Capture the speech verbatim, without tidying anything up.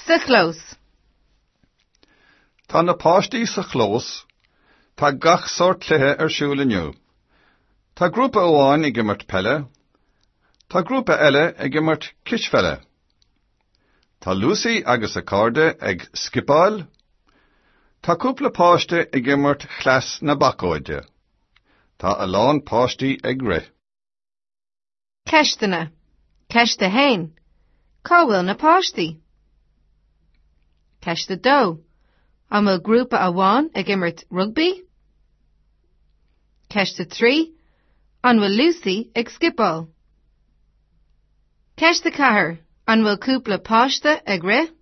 Sa chlós. Tá na páistí sa chlós, Tá gach sórt cluiche ar siúl inniu. Tá grúpa amháin ag imirt peile, Tá grúpa eile ag imirt cispheile. Tá Lucy agus a cairde ag scipeáil, Tá cúpla páiste ag imirt chleas na bacóide. Tá a lán páistí ag rith. Ceisteanna. Ceist a haon. Cá bhfuil na páistí? Ceist a dó. An bhfuil grúpa amháin ag imirt rugbaí? Ceist a trí. An bhfuil Lucy ag scipeáil? Ceist a ceathair. An bhfuil cúpla páiste ag rith?